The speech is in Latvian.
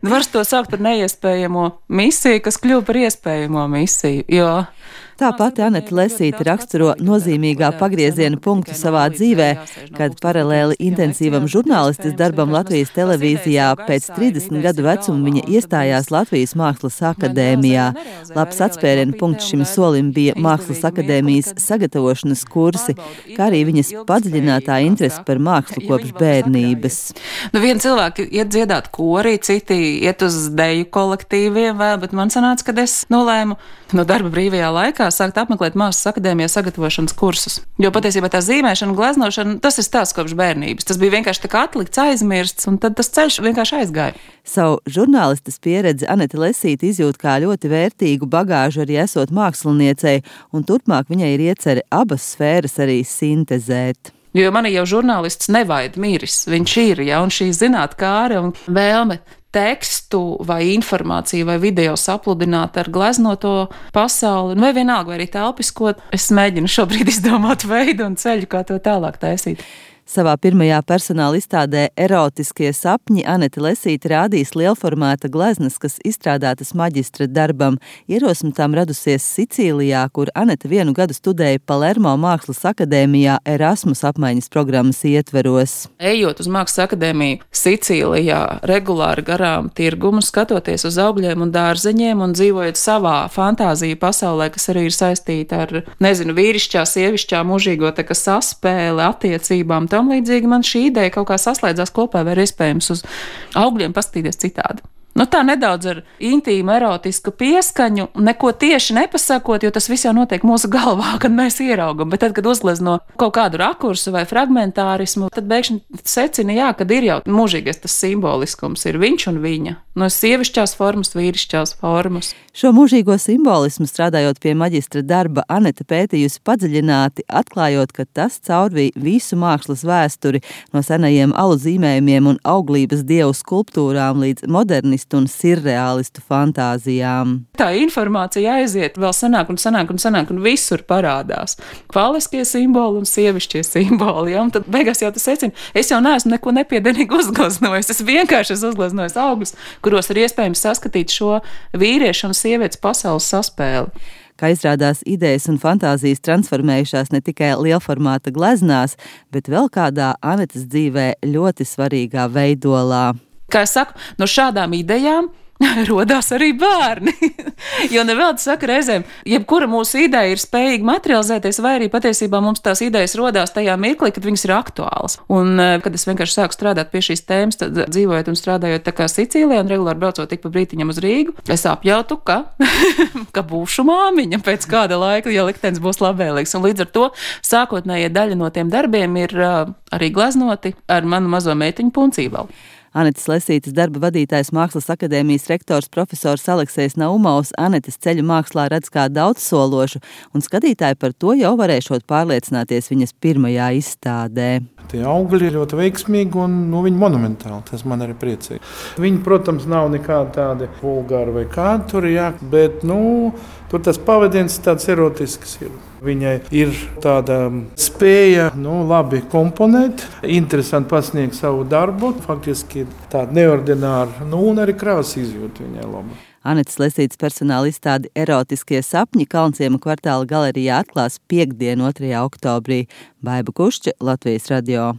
Var to saukt par neiespējamo misiju, kas kļuva par iespējamo misiju, jo Tā pati Anete Lesīte raksturo nozīmīgā pagrieziena punktu savā dzīvē, kad paralēli intensīvam žurnālistes darbam Latvijas televīzijā pēc 30 gadu vecuma viņa iestājās Latvijas Mākslas akadēmijā. Labs atspēriena punkts šim solim bija Mākslas akadēmijas sagatavošanas kursi, kā arī viņas padziļinātā interese par mākslu kopš bērnības. Vieni cilvēki iet dziedāt korī, citi iet uz deju kolektīviem vēl, bet man sanāca, kad es nolēmu no darba brīvajā laikā sākt apmeklēt Mākslas akadēmijā sagatavošanas kursus. Jo patiesībā tā zīmēšana, gleznošana, tas ir stāsts kopš bērnības. Tas bija vienkārši tā kā atlikts, aizmirsts, un tad tas ceļš vienkārši aizgāja. Savu žurnālistes pieredzi Anete Lesīte izjūt kā ļoti vērtīgu bagāžu arī esot māksliniecei, un turpmāk viņai ir iecerē abas sfēras arī sintezēt. Jo mani jau žurnālists nevaid miris, viņš ir, ja, un šī zinātkāre un vēlme tekstu vai informāciju vai video sapludināt ar gleznoto pasauli, vai vienalga, vai arī telpiskot, es mēģinu šobrīd izdomāt veidu un ceļu, kā to tālāk taisīt. Savā pirmajā personāla izstādē Erotiskie sapņi Anete Lesīte rādīs lielformāta gleznas, kas izstrādātas maģistra darbam. Ierosme tām radusies Sicīlijā, kur Anete vienu gadu studēja Palermo Mākslas akadēmijā Erasmus apmaiņas programmas ietveros. Ejot uz Mākslas akadēmiju Sicīlijā, regulāri garām tirgumu, skatoties uz augļiem un dārzeņiem un dzīvojot savā fantāziju pasaulē, kas arī ir saistīta ar, vīrišķā, sievišķā, mūžīgo tā kā saspēle, attiecībām, tam līdzīgi man šī ideja kaut kā saslēdzās kopā, vai ir iespējams uz augļiem paskatīties citādi. Tā nedaudz ar intīmu, erotisku pieskaņu, neko tieši nepasakot, jo tas viss jau notiek mūsu galvā, kad mēs ieraugam. Bet tad, kad uzglezno kaut kādu rakursu vai fragmentārismu, tad bēgšņi secina, kad ir jau mūžīgais tas simboliskums, ir viņš un viņa. No sievišķās formas, vīrišķās formas. Šo mūžīgo simbolismu strādājot pie maģistra darba, Anete pētījusi padziļināti, atklājot, ka tas caurvīja visu mākslas vēsturi no senajiem alu zīmējumiem un auglības dievu skulptūrām līdz modernistu un sirreālistu fantāzijām. Tā informācija aiziet vēl sanāk un visur parādās. Kvaliskie simboli un sievišķie simboli. Ja? Un tad beigās jau tas secina, es jau neesmu neko nepiedienīgi uzgleznojis. Es vienkārši esmu uzgleznojis augļus, kuros ir iespējams saskatīt šo vīriešu un sievietes pasaules saspēli. Kā izrādās, idejas un fantāzijas transformējušās ne tikai lielformāta gleznās, bet vēl kādā Anetes dzīvē ļoti svarīgā veidolā. Kā es saku, no šādām idejām rodās arī bērni. Jo nevelti saka reizēm, jebkura mūsu ideja ir spējīga materializēties, vai arī patiesībā mums tās idejas rodās tajā mirklī, kad viņas ir aktuālas. Un, kad es vienkārši sāku strādāt pie šīs tēmas, tad dzīvojot un strādājot tā kā Sicīlijā un regulāri braucot tik pa brītiņam uz Rīgu, es apjautu, ka būšu māmiņa pēc kāda laika, ja liktenis būs labvēlīgs. Un līdz ar to sākotnējie daļa no tiem darbiem ir arī gleznoti ar manu mazo meitiņu Puncībalu. Anetes Lesītes darba vadītājs Mākslas akadēmijas rektors profesors Aleksejs Naumovs Anetes ceļu mākslā redz kā daudzsološu, un skatītāji par to jau varēšot pārliecināties viņas pirmajā izstādē. Tie augļi ir ļoti veiksmīgi un viņi monumentāli, tas man arī priecīgi. Viņi, protams, nav nekādi tādi vulgāri vai kādi tur, bet, tur tas pavadiens tāds erotisks ir. Viņai ir tāda spēja, labi komponēt, interesanti pasniegt savu darbu, faktiski tāda neordināra, un arī krāsa izjūta viņai laba. Anetes Lesītes personāla izstāde Erotiskie sapņi Kalnciema kvartāla galerijā atklās piektdien, 2. oktobrī. Baiba Kušķa, Latvijas radio.